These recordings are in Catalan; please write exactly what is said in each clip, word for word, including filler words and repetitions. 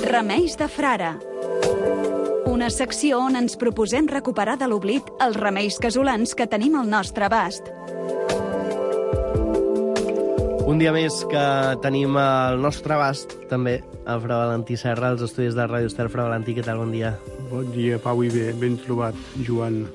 Remeis de frare. Una secció on ens proposem recuperar de l'oblit els remeis casolans que tenim al nostre abast. Un dia més que tenim al nostre abast, també, a Fra Valentí Serra, als estudis de Ràdio Estel. Fra Valentí, què tal? Bon dia. Bon dia, Pau, i bé, ben trobat, Joan.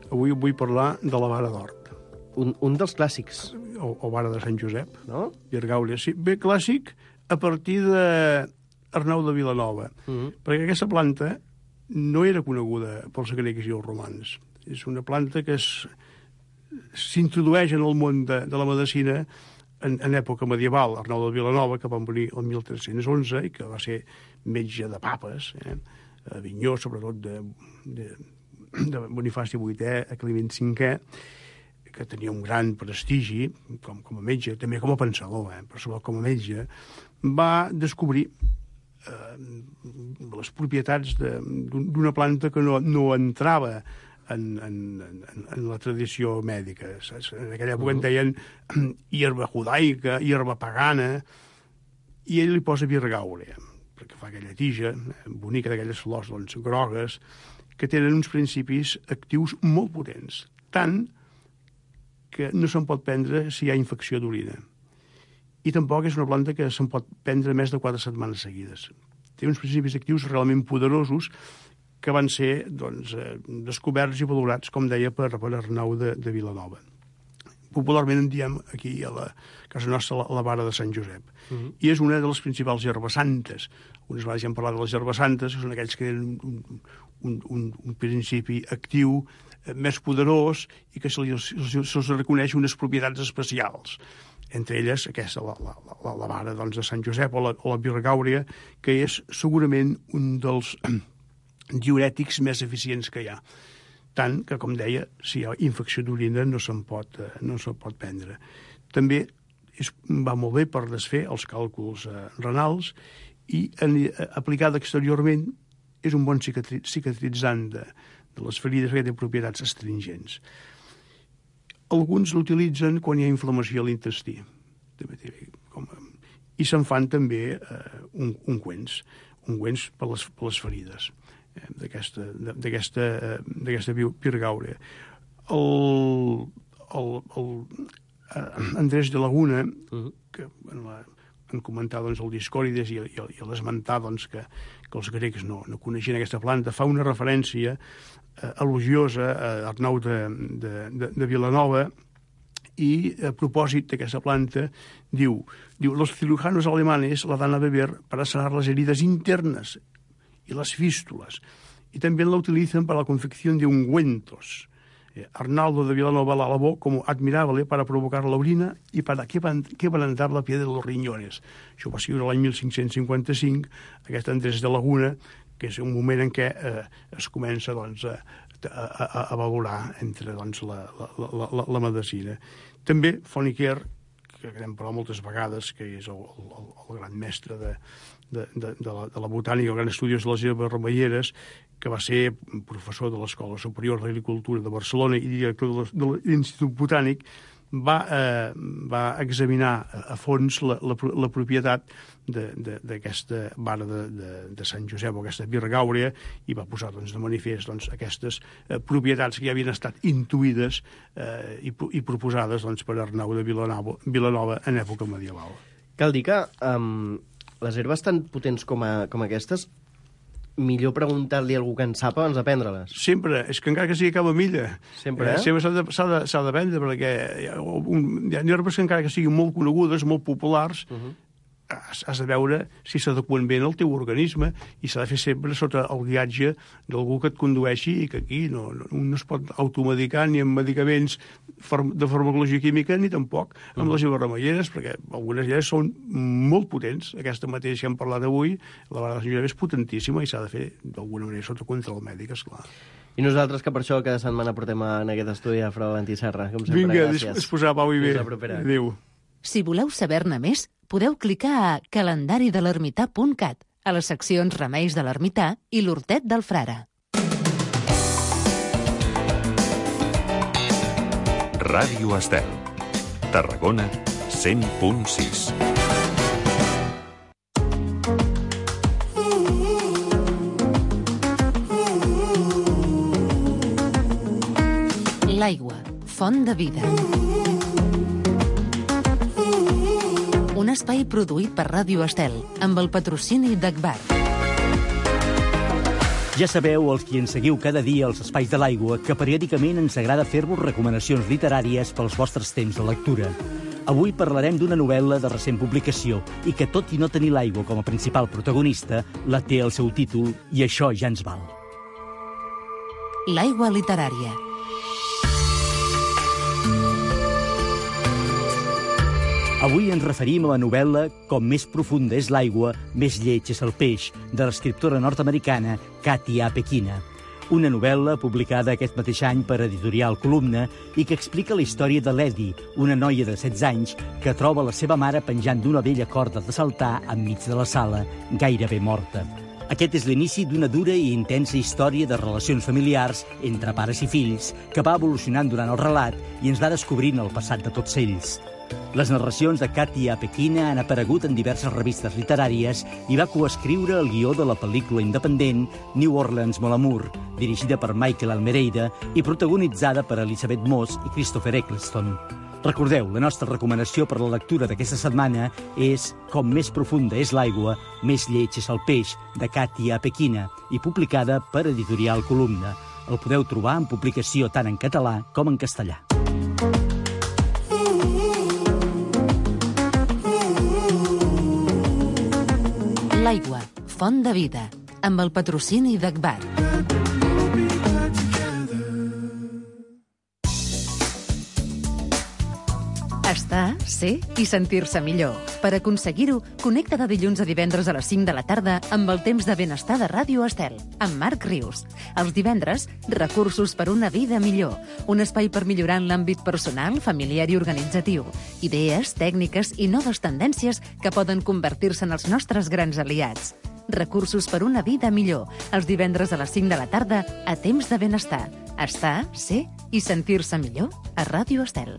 Avui vull parlar de la vara d'Hort. Un, un dels clàssics. O, o vara de Sant Josep, no? Virgàulia, sí. Bé, clàssic a partir d'Arnau de Vilanova, mm-hmm. perquè aquesta planta no era coneguda pels grecs i els romans. És una planta que s'introdueix en el món de, de la medicina en, en època medieval. Arnau de Vilanova, que va morir el mil tres-cents onze i que va ser metge de papes, eh? A Avinyó, sobretot de, de, de Bonifaci vuitè a Climent cinquè, que tenia un gran prestigi com, com a metge, també com a pensador, eh? Però sobretot com a metge, va descobrir eh, les propietats d'una planta que no, no entrava en, en, en, en la tradició mèdica. En aquella època en deien hierba judaica, hierba pagana, i ell li posa virgàulia, perquè fa aquella tija bonica d'aquelles flors doncs, grogues, que tenen uns principis actius molt potents, tant que no se'n pot prendre si hi ha infecció d'orina. I tampoc és una planta que se'n pot prendre més de quatre setmanes seguides. Té uns principis actius realment poderosos que van ser doncs, eh, descoberts i valorats, com deia, per, per Arnau de, de Vilanova. Popularment en diem aquí a la casa nostra la, la vara de Sant Josep. Uh-huh. I és una de les principals herbes santes. Unes vegades ja hem parlat de les herbes santes, que són aquells que tenen un, un, un, un principi actiu més poderós i que se li, se, se reconeix unes propietats especials. Entre elles, aquesta, la, la, la, la vara doncs, de Sant Josep o la, o la virgàuria, que és segurament un dels diurètics més eficients que hi ha. Tant que, com deia, si hi ha infecció d'orina no se'n pot, no se'n pot prendre. També és, va molt bé per desfer els càlculs eh, renals i en, eh, aplicada exteriorment és un bon cicatri, cicatritzant de, de les ferides, que té propietats astringents. Alguns l'utilitzen quan hi ha inflamació a l'intestí. I se'n fan també eh, un, ungüents, ungüents per les, per les ferides eh, d'aquesta, d'aquesta, eh, d'aquesta virgàuria. El, el, el eh, Andrés de Laguna, uh-huh. que en la en comentar doncs, el Discòrides i, i, i l'esmentar doncs, que, que els grecs no, no coneixien aquesta planta, fa una referència eh, elogiosa a Arnau de, de, de, de Vilanova i a propòsit d'aquesta planta diu, diu los cirujanos alemanes la dan a beber para sanar las heridas internas y las fístulas y también la utilizan para la confección de ungüentos. Eh, Arnaldo de Vilanova la alabó como admirable para provocar la orina y para quebrantar la piel de los riñones. Això va ser l'any mil cinc-cents cinquanta-cinc, aquest Andrés de Laguna, que és un moment en què eh, es comença doncs, a, a, a valorar entre doncs, la, la, la, la medicina. També Fournier, que hem parlat moltes vegades, que és el, el, el gran mestre de, de, de, de, la, de la botànica, el gran estudiós de les herbes remeieres, que va ser professor de l'Escola Superior d'Agricultura de Barcelona i director de l'Institut Botànic, va, eh, va examinar a fons la, la, la propietat d'aquesta vara de, de, de Sant Josep, o aquesta virgàuria, i va posar doncs, de manifest doncs, aquestes eh, propietats que ja havien estat intuïdes eh, i, i proposades doncs, per Arnau de Vilanova, Vilanova en època medieval. Cal dir que um, les herbes tan potents com, a, com aquestes, millor preguntar-li a algú que en sap abans de prendre-les. Sempre, és que encara que sigui a cava milla. Sempre, eh? eh? Sempre s'ha de, s'ha de, s'ha de prendre, perquè hi ha, un, hi ha herbes que encara que siguin molt conegudes, molt populars, uh-huh. has, has de veure si s'adeqüen bé al teu organisme i s'ha de fer sempre sota el guiatge d'algú que et condueixi i que aquí no, no, no es pot automedicar ni amb medicaments de farmacologia química ni tampoc amb uh-huh. les herbes remeieres, perquè algunes d'elles són molt potents. Aquesta mateixa que hem parlat avui, la vara de Sant Josep és potentíssima i s'ha de fer d'alguna manera sota control mèdic, esclar. I nosaltres, que per això cada setmana portem en aquest estudi a Fra Valentí Serra. Com sempre, Vinga, gràcies. disposar, Pau, i bé. Fins la propera. Adéu. Si voleu saber-ne més, podeu clicar a calendari de l'ermità punt cat, a les seccions Remeis de l'Ermità i l'Hortet del Frare. Ràdio Estel, Tarragona, cent punt sis. font de vida. Un espai produït per Ràdio Estel, amb el patrocini d'Agbar. Ja sabeu, els qui ens seguiu cada dia als Espais de l'Aigua, que periòdicament ens agrada fer-vos recomanacions literàries pels vostres temps de lectura. Avui parlarem d'una novel·la de recent publicació i que, tot i no tenir l'aigua com a principal protagonista, la té al seu títol i això ja ens val. L'aigua literària. Avui ens referim a la novel·la Com més profunda és l'aigua, més lleig és el peix, de l'escriptora nord-americana Katy A. Pekina. Una novel·la publicada aquest mateix any per Editorial Columna i que explica la història de l'Eddie, una noia de setze anys que troba la seva mare penjant d'una vella corda de saltar enmig de la sala, gairebé morta. Aquest és l'inici d'una dura i intensa història de relacions familiars entre pares i fills que va evolucionant durant el relat i ens va descobrint el passat de tots ells. Les narracions de Katy A. Pekina han aparegut en diverses revistes literàries i va coescriure el guió de la pel·lícula independent New Orleans Mon Amour, dirigida per Michael Almereyda i protagonitzada per Elizabeth Moss i Christopher Eccleston. Recordeu, la nostra recomanació per la lectura d'aquesta setmana és Com més profunda és l'aigua, més lleig és el peix, de Katy A. Pekina, i publicada per Editorial Columna. El podeu trobar en publicació tant en català com en castellà. L'aigua, font de vida, amb el patrocini d'Agbar. Estar, ser i sentir-se millor. Per aconseguir-ho, connecta de dilluns a divendres a les cinc de la tarda amb el temps de benestar de Ràdio Estel, amb Marc Rius. Els divendres, recursos per una vida millor. Un espai per millorar en l'àmbit personal, familiar i organitzatiu. Idees, tècniques i noves tendències que poden convertir-se en els nostres grans aliats. Recursos per una vida millor. Els divendres a les cinc de la tarda, a temps de benestar. Estar, ser i sentir-se millor a Ràdio Estel.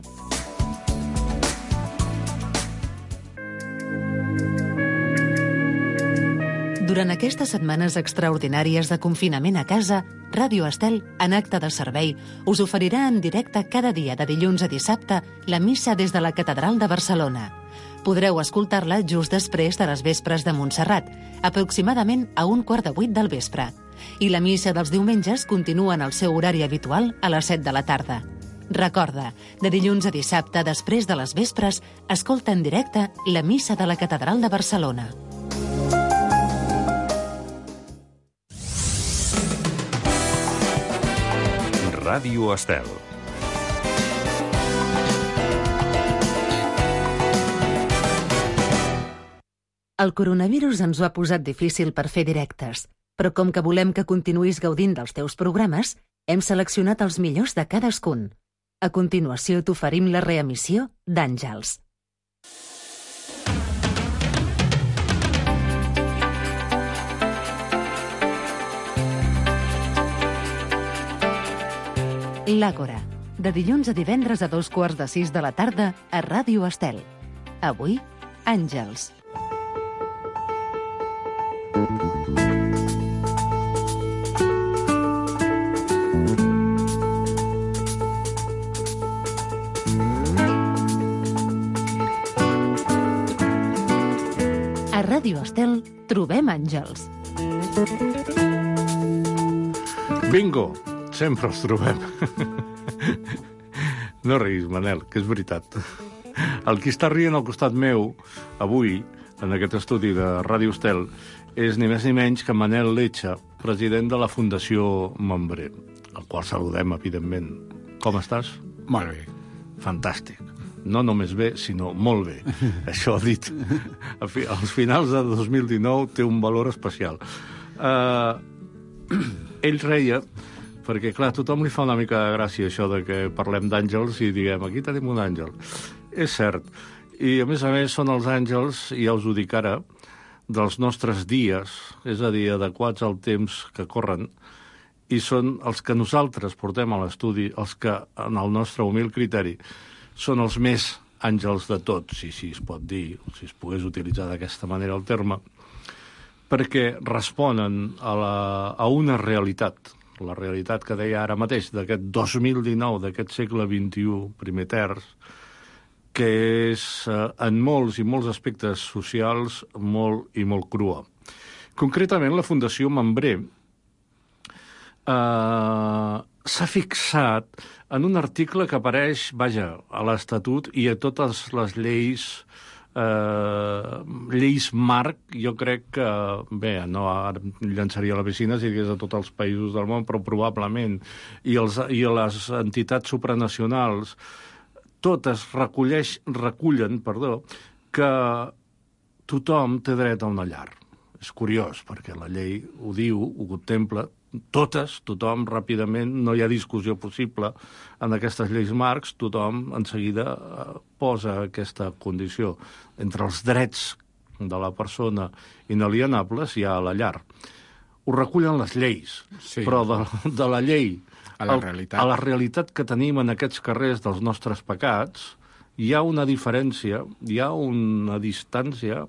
Durant aquestes setmanes extraordinàries de confinament a casa, Ràdio Estel, en acte de servei, us oferirà en directe cada dia de dilluns a dissabte la missa des de la Catedral de Barcelona. Podreu escoltar-la just després de les vespres de Montserrat, aproximadament a un quart de vuit del vespre. I la missa dels diumenges continua en el seu horari habitual a les set de la tarda. Recorda, de dilluns a dissabte, després de les vespres, escolta en directe la missa de la Catedral de Barcelona. Ràdio Estel. El coronavirus ens ho ha posat difícil per fer directes, però com que volem que continuïs gaudint dels teus programes, hem seleccionat els millors de cadascun. A continuació t'oferim la reemissió d'Àngels. L'Àgora, de dilluns a divendres a dos quarts de sis de la tarda a Ràdio Estel. Avui, Àngels. A Ràdio Estel trobem àngels. Bingo! Sempre els trobem. No riguis, Manel, que és veritat. El qui està rient al costat meu, avui, en aquest estudi de Ràdio Estel, és ni més ni menys que Manel Lecha, president de la Fundació Membré, el qual saludem, evidentment. Com estàs? Molt bé. Fantàstic. No només bé, sinó molt bé. Això dit. Als finals de dos mil dinou té un valor especial. Uh, ell reia, perquè, clar, a tothom li fa una mica de gràcia això de que parlem d'àngels i diguem, aquí tenim un àngel. És cert. I, a més a més, són els àngels, i ja us ho dic ara, dels nostres dies, és a dir, adequats al temps que corren, i són els que nosaltres portem a l'estudi, els que, en el nostre humil criteri, són els més àngels de tots, si, si es pot dir, si es pogués utilitzar d'aquesta manera el terme, perquè responen a, la, a una realitat la realitat que deia ara mateix, d'aquest dos mil dinou, d'aquest segle vint-i-u, primer terç, que és, eh, en molts i molts aspectes socials, molt i molt crua. Concretament, la Fundació Mambré eh, s'ha fixat en un article que apareix, vaja, a l'Estatut i a totes les lleis eh, lleis marc. Jo crec que, bé, no ara llançaria a la piscina si digués a tots els països del món, però probablement, i, els, i les entitats supranacionals, totes recolleix, recullen perdó, que tothom té dret a una llar. És curiós, perquè la llei ho diu, ho contempla, totes, tothom, ràpidament, no hi ha discussió possible en aquestes lleis marcs, tothom en seguida posa aquesta condició. Entre els drets de la persona inalienables hi ha la llar. Ho recullen les lleis, sí. Però de, de la llei a la, realitat. a la realitat que tenim en aquests carrers dels nostres pecats, hi ha una diferència, hi ha una distància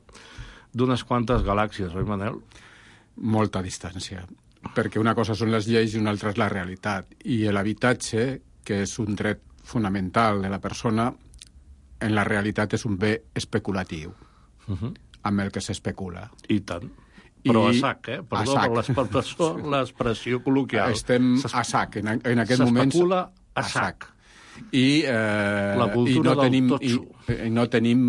d'unes quantes galàxies, oi, Manel? Molta distància, perquè una cosa són les lleis i una altra és la realitat. I l'habitatge, que és un dret fonamental de la persona, en la realitat és un bé especulatiu, uh-huh. amb el que s'especula. I tant. Però I... a sac, eh? Perdó sac. per l'expressió col·loquial. Estem a sac, en, en aquest moment... S'especula a sac. I, eh, la cultura i no del tenim, totxo. I, i no tenim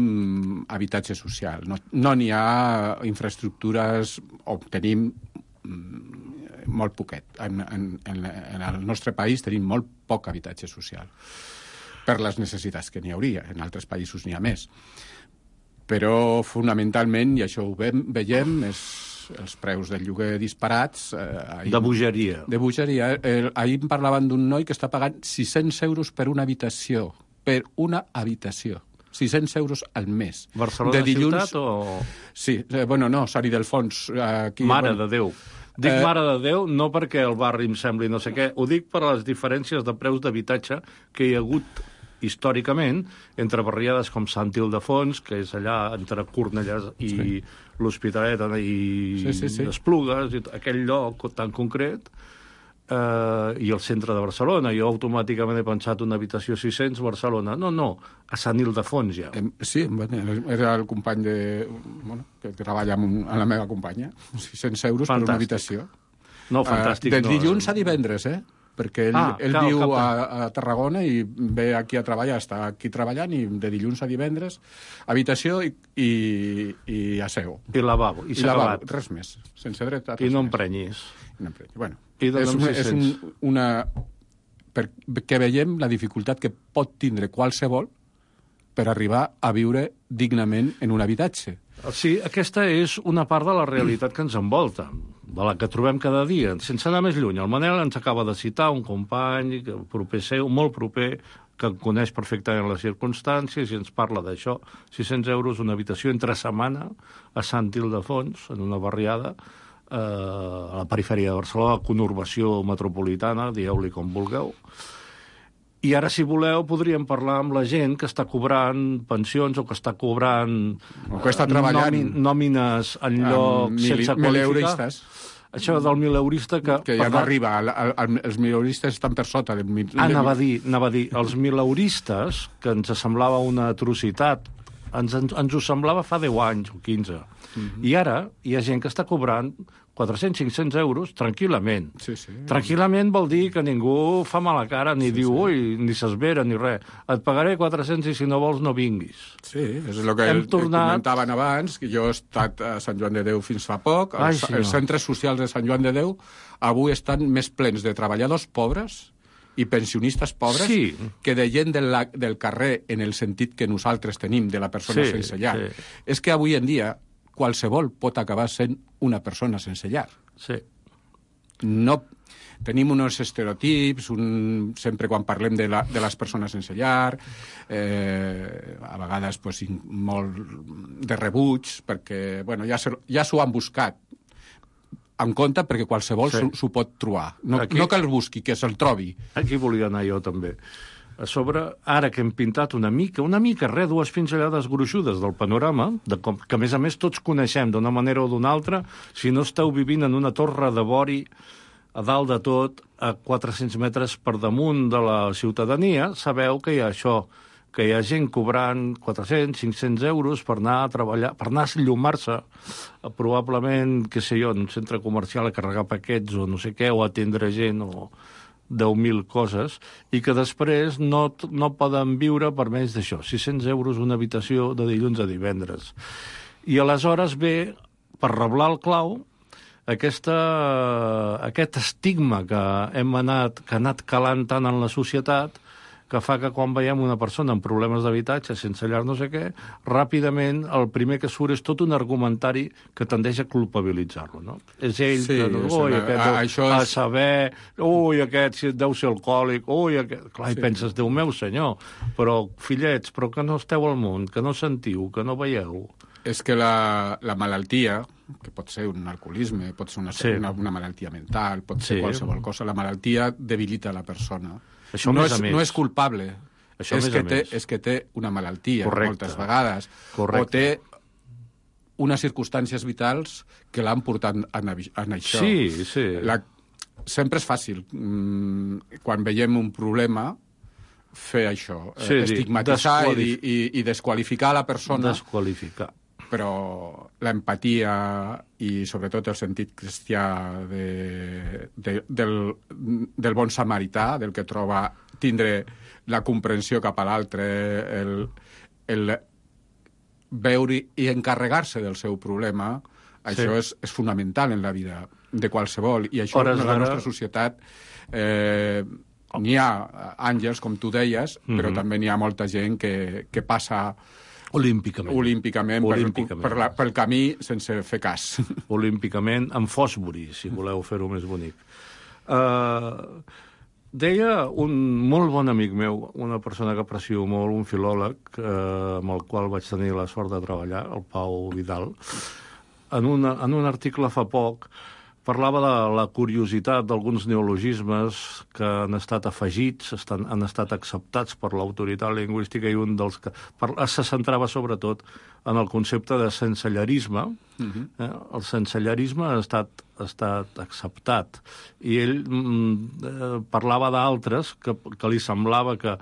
habitatge social. No no n'hi ha infraestructures, o tenim mm, molt poquet. En, en, en el nostre país tenim molt poc habitatge social, per les necessitats que n'hi hauria. En altres països n'hi ha més. Però, fonamentalment, i això ho veiem, és els preus del lloguer disparats. Eh, ahir, de bogeria. De bogeria. Eh, ahir em parlaven d'un noi que està pagant sis-cents euros per una habitació. Per una habitació. sis-cents euros al mes. Barcelona de dilluns... ciutat o...? Sí, eh, bueno, no, Sant Ildefons. Aquí, Mare bueno... de Déu. Dic eh... Mare de Déu no perquè el barri em sembli no sé què, ho dic per les diferències de preus d'habitatge que hi ha hagut històricament entre barriades com Sant Ildefons, que és allà entre Cornellà i sí. l'Hospitalet i sí, sí, sí. Esplugues, i aquell lloc tan concret, eh, i el centre de Barcelona. Jo automàticament he pensat una habitació sis-cents, Barcelona. No, no, a Sant Ildefons ja. Sí, era el company de... Bueno, que treballa amb, un, amb la meva companya. sis-cents euros fantàstic. Per una habitació. No, fantàstic. Uh, de dilluns no... a divendres, eh? Perquè ell, ah, ell cal, viu a, a Tarragona i ve aquí a treballar, està aquí treballant, i de dilluns a divendres, habitació i, i, i aseo. I lavabo, i, I s'ha acabat. Res més, sense dret a res I no més. emprenyis. I no emprenyis. Bueno, I és, una, és un, una... perquè veiem la dificultat que pot tindre qualsevol per arribar a viure dignament en un habitatge. Sí, aquesta és una part de la realitat que ens envolta, de la que trobem cada dia. Sense anar més lluny, el Manel ens acaba de citar un company proper seu, molt proper, que coneix perfectament les circumstàncies i ens parla d'això. sis-cents euros una habitació entre setmana a Sant Ildefons, en una barriada, eh, a la perifèria de Barcelona, conurbació metropolitana, dieu-li com vulgueu. I ara, si voleu, podríem parlar amb la gent que està cobrant pensions o que està cobrant o que està treballant nòmin, nòmines en lloc mil, sense qualificar. Això del mileurista que... Que ja no arriba. El, el, els mileuristes estan per sota. Del mil... Ah, anava a dir, anava a dir, els mileuristes, que ens semblava una atrocitat, ens, ens, ens ho semblava fa deu anys o quinze. Mm-hmm. I ara hi ha gent que està cobrant quatre-cents cinc-cents euros tranquil·lament. Sí, sí. Tranquil·lament vol dir que ningú fa mala cara, ni sí, diu, sí. ui, ni s'esvera, ni res. Et pagaré quatre-cents i si no vols no vinguis. Sí, és el que Hem tornat... comentaven abans, que jo he estat a Sant Joan de Déu fins fa poc. Ai, els, sí, els centres socials de Sant Joan de Déu avui estan més plens de treballadors pobres i pensionistes pobres sí. que de gent del, del carrer, en el sentit que nosaltres tenim de la persona sí, sense llar. Sí. És que avui en dia qualsevol pot acabar sent una persona sense llar. Sí. No, tenim uns estereotips, un, sempre quan parlem de, la, de les persones sense llar, eh, a vegades pues, molt de rebuig, perquè bueno, ja, ja s'ho han buscat en compte perquè qualsevol s'ho sí. pot trobar. No, Aquí... no que el busqui, que se'l trobi. Aquí volia anar jo també. A sobre, ara que hem pintat una mica, una mica, res, dues pinzellades gruixudes del panorama, de com, que a més a més tots coneixem d'una manera o d'una altra, si no esteu vivint en una torre de vori a dalt de tot, a quatre-cents metres per damunt de la ciutadania, sabeu que hi ha això, que hi ha gent cobrant quatre-cents, cinc-cents euros per anar a treballar, per anar a llumar-se, probablement, què sé jo, en un centre comercial a carregar paquets o no sé què, o atendre gent o deu mil coses, i que després no, no poden viure per més d'això, sis-cents euros una habitació de dilluns a divendres. I aleshores ve, per reblar el clau, aquesta, aquest estigma que hem anat, que ha anat calant tant en la societat, que fa que quan veiem una persona amb problemes d'habitatge, sense llar no sé què, ràpidament el primer que surt és tot un argumentari que tendeix a culpabilitzar-lo, no? És ell sí, que... Ui, aquest a, deu, això a és... saber... Ui, aquest deu ser alcohòlic... Ui, aquest... Clar, sí. I penses, Déu meu senyor, però, fillets, però que no esteu al món, que no sentiu, que no veieu... És que la, la malaltia, que pot ser un alcoholisme, pot ser una, sí. una, una malaltia mental, pot ser sí. qualsevol cosa, la malaltia debilita la persona. Això no, més és, a més. no és culpable, això és, més que a té, més. és que té una malaltia, correcte. Moltes vegades, correcte. o té unes circumstàncies vitals que l'han portat en, en això. Sí, sí. La, sempre és fàcil, mm, quan veiem un problema, fer això, sí, estigmatitzar desqualif... i, i, i desqualificar la persona. Desqualificar. Però l'empatia i sobretot el sentit cristià de, de, del, del bon samarità, del que troba tindre la comprensió cap a l'altre, el, el veure i encarregar-se del seu problema, això sí. és, és fonamental en la vida de qualsevol. I això en la nostra societat eh, n'hi ha àngels, com tu deies, mm-hmm. però també n'hi ha molta gent que, que passa... Olímpicament. Olímpicament, Olímpicament. Per, per la, pel camí sense fer cas. Olímpicament, amb Fosbury, si voleu fer-ho més bonic. Uh, deia un molt bon amic meu, una persona que aprecio molt, un filòleg, uh, amb el qual vaig tenir la sort de treballar, el Pau Vidal, en, una, en un article fa poc, parlava de la curiositat d'alguns neologismes que han estat afegits, estan, han estat acceptats per l'autoritat lingüística, i un dels que per, se centrava sobretot en el concepte de sensellarisme. Uh-huh. eh? El sensellarisme ha estat, ha estat acceptat. I ell mm, eh, parlava d'altres que, que li semblava que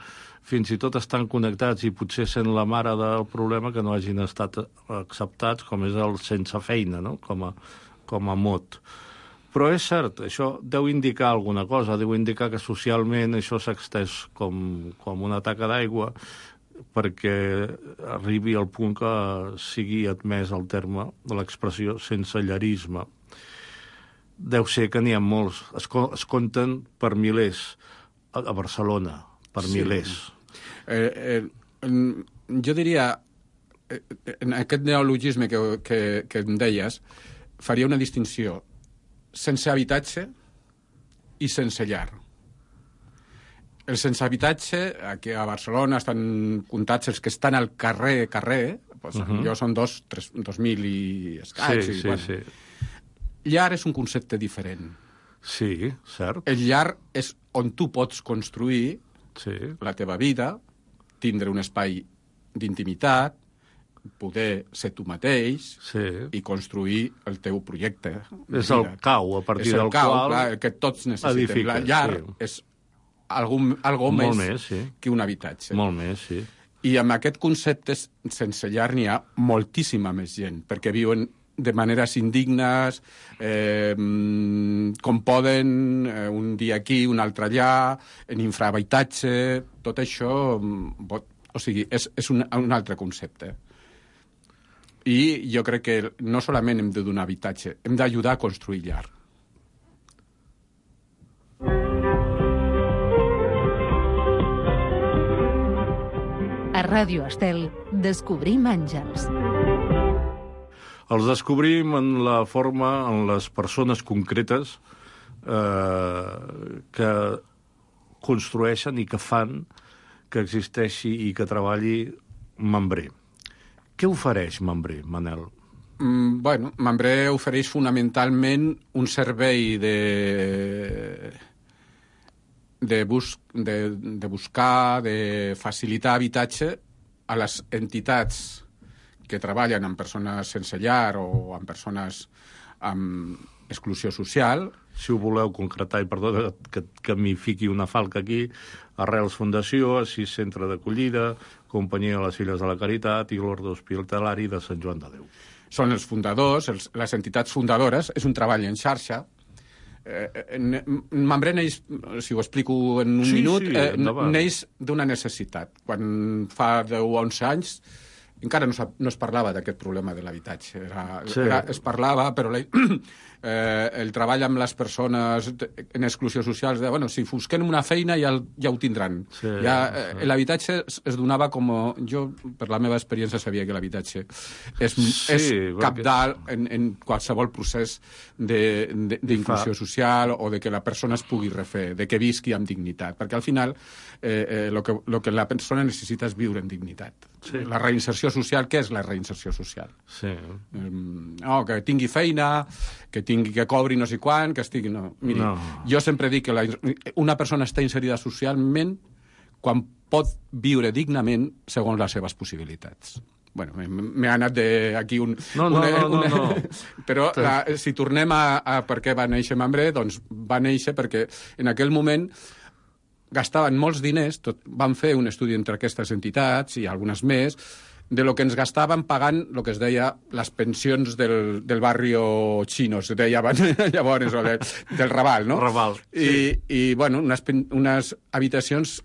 fins i tot estan connectats i potser sent la mare del problema que no hagin estat acceptats, com és el sense feina, no? com, a, com a mot. Però és cert, això deu indicar alguna cosa, deu indicar que socialment això s'ha extès com, com una taca d'aigua perquè arribi al punt que sigui admès el terme de l'expressió sensellarisme. Deu ser que n'hi ha molts, es, es compten per milers a, a Barcelona, per sí. milers. Eh, eh, jo diria, en aquest neologisme que, que, que em deies, faria una distinció sense habitatge i sense llar. El sense habitatge, aquí a Barcelona estan comptats els que estan al carrer, carrer, doncs uh-huh. jo són dos, tres, dos mil i escaig. Sí, i, sí, bueno. sí. Llar és un concepte diferent. Sí, cert. El llar és on tu pots construir sí. la teva vida, tindre un espai d'intimitat, poder ser tu mateix sí. i construir el teu projecte. És el cau, a partir és el del cau, qual... clar, el que tots necessitem. Edifica, la llar sí. és algú, algú Molt més, més sí. que un habitatge. Molt més, sí. I amb aquest concepte sense llar n'hi ha moltíssima més gent, perquè viuen de maneres indignes, eh, com poden, eh, un dia aquí, un altre allà, en infrahabitatge, tot això, o sigui, és, és un, un altre concepte. I jo crec que no solament hem de donar habitatge, hem d'ajudar a construir llar. A Ràdio Estel, descobrim àngels. Els descobrim en la forma, en les persones concretes eh, que construeixen i que fan que existeixi i que treballi Membré. Què ofereix Membré, Manel? Mm, bueno, Membré ofereix fonamentalment un servei de, de, bus, de, de buscar, de facilitar habitatge a les entitats que treballen amb persones sense llar o amb persones amb exclusió social. Si ho voleu concretar, i perdona que, que m'hi fiqui una falca aquí, Arrels Fundació, Assís Centre d'Acollida, Companyia de les Filles de la Caritat i l'Orde Hospitalari de Sant Joan de Déu. Són els fundadors, els, les entitats fundadores, és un treball en xarxa. Eh, Mambré neix, si ho explico en un sí, minut, sí, eh, neix d'una necessitat. Quan fa deu o onze anys encara no, no es parlava d'aquest problema de l'habitatge. Era, sí. era, es parlava, però la, eh, el treball amb les persones en exclusió social, de, bueno, si busquen una feina ja, ja ho tindran. Sí, ja, eh, l'habitatge es, es donava com... Jo, per la meva experiència, sabia que l'habitatge és, sí, és cabdal perquè... en, en qualsevol procés d'inclusió social o de que la persona es pugui refer, de que visqui amb dignitat. Perquè al final eh, eh, lo que, lo que la persona necessita és viure en dignitat. Sí. La reinserció social, què és la reinserció social? Sí. Um, oh, que tingui feina, que tingui que cobri no sé quan, que estigui... No. Miri, no. Jo sempre dic que la, una persona està inserida socialment quan pot viure dignament segons les seves possibilitats. Bueno, m'he anat d'aquí un... No, no, una, no, no, una... no. Però la, si tornem a, a per què va néixer Mambré, doncs va néixer perquè en aquell moment gastaven molts diners, tot, van fer un estudi entre aquestes entitats i algunes més, de lo que ens gastaven pagant el que es deia les pensions del, del barrio xino, es deia llavors, o de, del Raval, no? Raval, sí. I, i bueno, unes, unes habitacions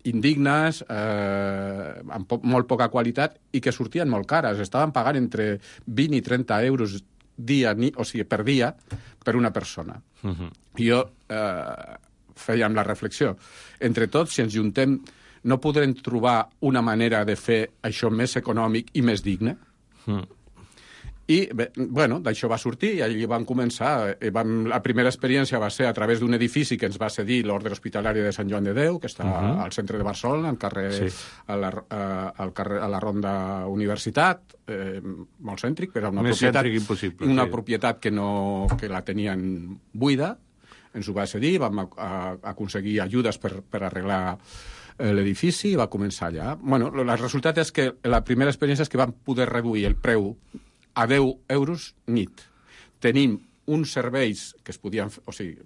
indignes, eh, amb po molt poca qualitat i que sortien molt cares. Estaven pagant entre vint i trenta euros dia, ni, o sigui, per dia per una persona. Uh-huh. I jo... Eh, fèiem la reflexió. Entre tots, si ens juntem, no podrem trobar una manera de fer això més econòmic i més digne? Mm. I, bé, bueno, d'això va sortir i allí vam començar. Eh, vam, la primera experiència va ser a través d'un edifici que ens va cedir l'Orde Hospitalari de Sant Joan de Déu, que està uh -huh. al centre de Barcelona, al carrer, sí. a, la, a, al carrer, a la Ronda Universitat, eh, molt cèntric, però una, més propietat, impossible, una sí. propietat que, no, que la tenien buida. Ens ho va cedir, vam a, a, aconseguir ajudes per, per arreglar eh, l'edifici i va començar allà. Bueno, el resultat és que la primera experiència és que vam poder reduir el preu a deu euros nit. Tenim uns serveis que es podien... O sigui,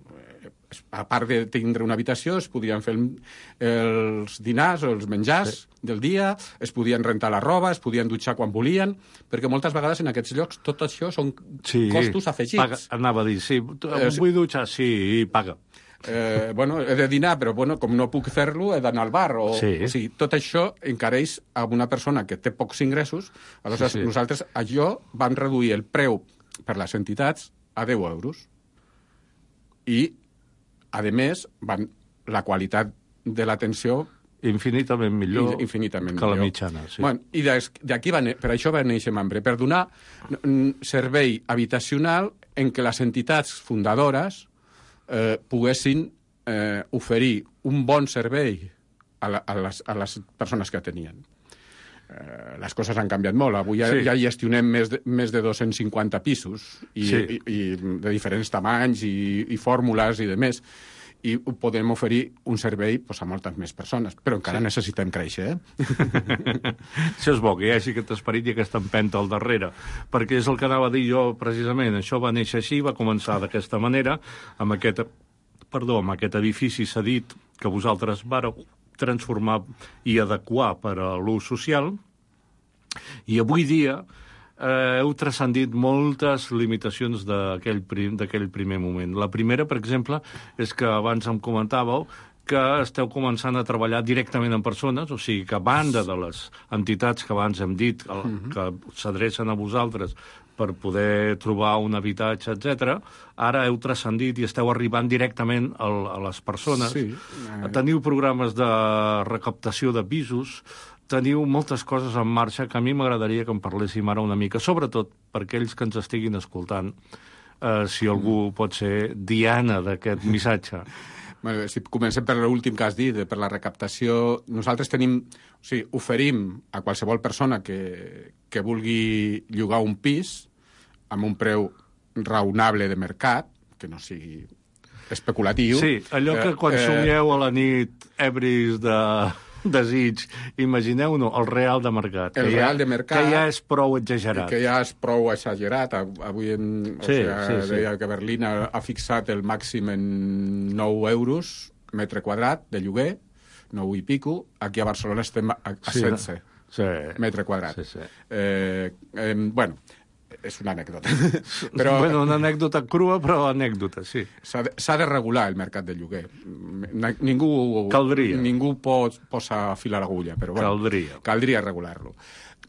a part de tindre una habitació, es podien fer el, els dinars o els menjars sí. del dia, es podien rentar la roba, es podien dutxar quan volien, perquè moltes vegades en aquests llocs tot això són sí. costos afegits. Paga, anava a dir, sí, eh, vull dutxar, sí, paga. Eh, bueno, he de dinar, però bueno, com no puc fer-lo, he d'anar al bar. O, sí. o sigui, tot això encareix a una persona que té pocs ingressos. Aleshores, sí, sí. nosaltres, allò, vam reduir el preu per les entitats a deu euros. I a més, van, la qualitat de l'atenció... Infinitament millor infinitament que millor. La mitjana, sí. Bueno, i d'aquí va, per això va néixer Mambré, per donar servei habitacional en què les entitats fundadores eh, poguessin eh, oferir un bon servei a, la, a, les, a les persones que tenien. Eh, les coses han canviat molt. Avui ja, sí. ja gestionem més de, més de dos-cents cinquanta pisos i, sí. i, i de diferents tamanys i, i fórmules i de més. I podem oferir un servei pues, a moltes més persones, però encara sí. necessitem créixer. Eh? Això és bo, que hi hagi aquest esperit i aquesta empenta al darrere, perquè és el que anava a dir jo precisament. Això va néixer així, va començar d'aquesta manera, amb aquest, perdó, amb aquest edifici cedit que vosaltres vareu transformar i adequar per a l'ús social, i avui dia eh, heu transcendit moltes limitacions d'aquell prim, d'aquell primer moment. La primera, per exemple, és que abans em comentàveu que esteu començant a treballar directament amb persones, o sigui que a banda de les entitats que abans hem dit, que, que s'adrecen a vosaltres per poder trobar un habitatge, etcètera, ara heu transcendit i esteu arribant directament a, a les persones. Sí. Teniu programes de recaptació de pisos, teniu moltes coses en marxa que a mi m'agradaria que en parléssim ara una mica, sobretot per aquells que ens estiguin escoltant, eh, si algú pot ser diana d'aquest missatge. Bueno, si comencem per l'últim que has dit, per la recaptació, nosaltres tenim, o sigui, oferim a qualsevol persona que, que vulgui llogar un pis amb un preu raonable de mercat, que no sigui especulatiu. Sí, allò que quan eh, somieu a la nit ebris de... desig. Imagineu-no, el real de mercat. El real de mercat... Que ja és prou exagerat. Que ja és prou exagerat. Avui en, sí, o sigui, sí, sí. deia que Berlín ha, ha fixat el màxim en nou euros metre quadrat de lloguer, nou i pico. Aquí a Barcelona estem a, a sí, setze sí. metre quadrat. Sí, sí. Eh, eh, bueno, és una anècdota. Però, bueno, una anècdota crua, però anècdota, sí. S'ha de, s'ha de regular el mercat del lloguer. Ningú, Caldria. Ningú pot posar fil a l'agulla, però bueno, Caldria. Caldria regular-lo.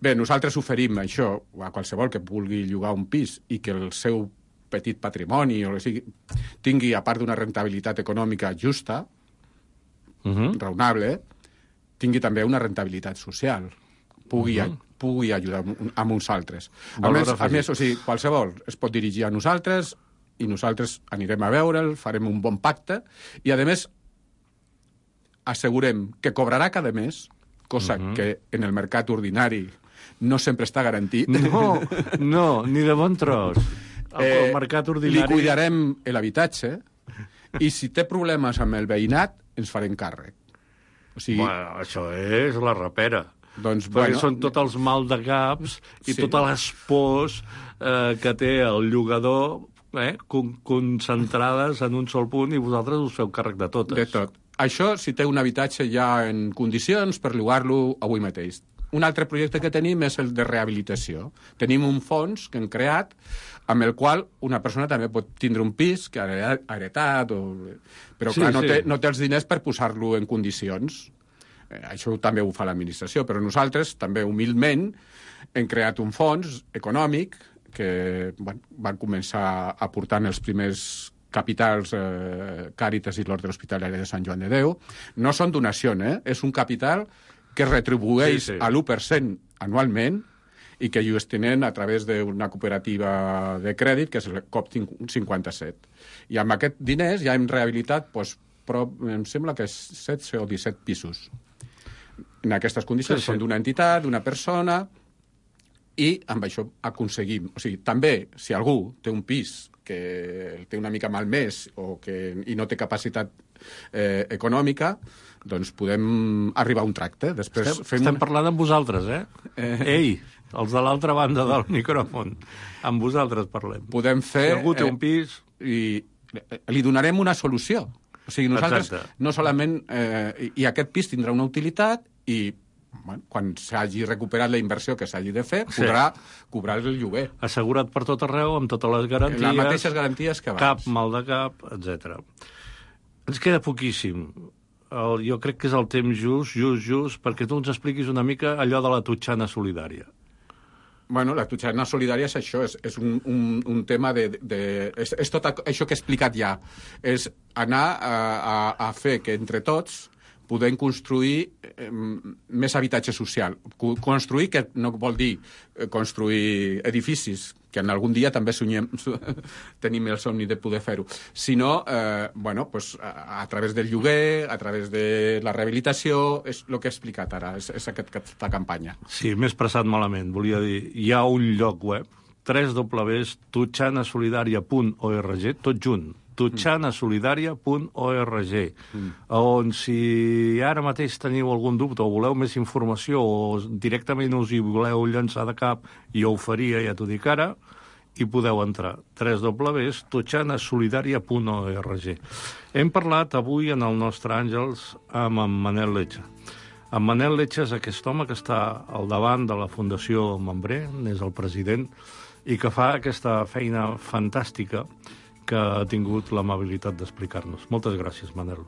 Bé, nosaltres oferim això a qualsevol que vulgui llogar un pis i que el seu petit patrimoni o sigui, tingui, a part d'una rentabilitat econòmica justa, uh -huh. raonable, tingui també una rentabilitat social. Pugui, uh -huh. pugui ajudar amb uns altres. A més, a més, o sigui, qualsevol es pot dirigir a nosaltres i nosaltres anirem a veure'l, farem un bon pacte i, a més, assegurem que cobrarà cada mes, cosa uh-huh. que en el mercat ordinari no sempre està garantit. No, no, ni de bon tros. El, eh, el mercat ordinari... Li cuidarem l'habitatge i si té problemes amb el veïnat ens farem càrrec. O sigui... Bueno, això és la rapera. Doncs, perquè bueno, són tots els mal de caps i sí. totes les pors eh, que té el llogador eh, con concentrades en un sol punt i vosaltres us feu càrrec de totes. De tot. Això si té un habitatge ja en condicions per llogar-lo avui mateix. Un altre projecte que tenim és el de rehabilitació. Tenim un fons que hem creat amb el qual una persona també pot tindre un pis que ha heretat, o... però sí, clar, no, sí. té, no té els diners per posar-lo en condicions. Eh, això també ho fa l'administració, però nosaltres també humilment hem creat un fons econòmic que bueno, van començar aportant els primers capitals eh, Càritas i l'Orde Hospitalari de Sant Joan de Déu. No són donacions, eh? És un capital que retribueix sí, sí. a l'u per cent anualment i que gestionen a través d'una cooperativa de crèdit, que és el C O P cinquanta-set. I amb aquests diners ja hem rehabilitat, doncs, prop, em sembla que és setze o disset pisos. En aquestes condicions sí, sí. són d'una entitat, d'una persona, i amb això aconseguim. O sigui, també, si algú té un pis que el té una mica malmès o que, i no té capacitat eh, econòmica, doncs podem arribar a un tracte. Després estem fem estem una... parlant amb vosaltres, eh? eh? Ei, els de l'altra banda del micròfon. Amb vosaltres parlem. Podem fer... Si algú té un pis... Eh, I li donarem una solució. O sigui, nosaltres Exacte. no solament... Eh, I aquest pis tindrà una utilitat i bueno, quan s'hagi recuperat la inversió que s'hagi de fer, podrà sí. cobrar el lloguer. Assegurat per tot arreu, amb totes les garanties... Les mateixes garanties que abans. Cap mal de cap, etcètera. Ens queda poquíssim. El, jo crec que és el temps just, just, just, perquè tu ens expliquis una mica allò de la Totxana solidària. Bueno, la Totxana solidària és això, és, és un, un, un tema de... de és, és tot això que he explicat ja. És anar a, a, a fer que entre tots podem construir eh, més habitatge social. Construir, que no vol dir construir edificis, que en algun dia també sonyem, tenim el somni de poder fer-ho, sinó eh, bueno, pues, a, a través del lloguer, a través de la rehabilitació, és el que he explicat ara, és, és aquest, aquesta campanya. Sí, m'he expressat malament. Volia dir, hi ha un lloc web, w w w punt totxana solidària punt org, tot junt, totxana solidària punt org, mm. on si ara mateix teniu algun dubte o voleu més informació o directament us hi voleu llançar de cap, jo ho faria, ja t'ho dic ara, i podeu entrar. w w w punt totxana solidària punt org. Hem parlat avui en el nostre Àngels amb en Manel Letxa. En Manel Letxa és aquest home que està al davant de la Fundació Membré, és el president, i que fa aquesta feina fantàstica que ha tingut l'amabilitat d'explicar-nos. Moltes gràcies, Manel.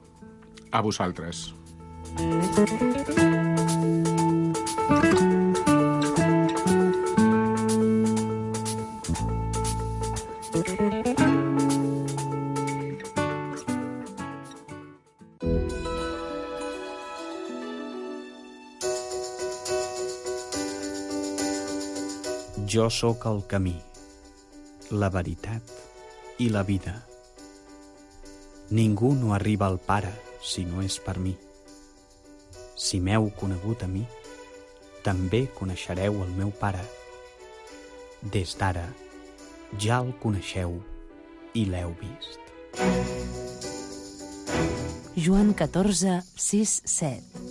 A vosaltres. Jo sóc el camí, la veritat i la vida. Ningú no arriba al Pare si no és per mi. Si m'heu conegut a mi, també coneixereu el meu Pare. Des d'ara ja el coneixeu i l'heu vist. Joan catorze, sis, set.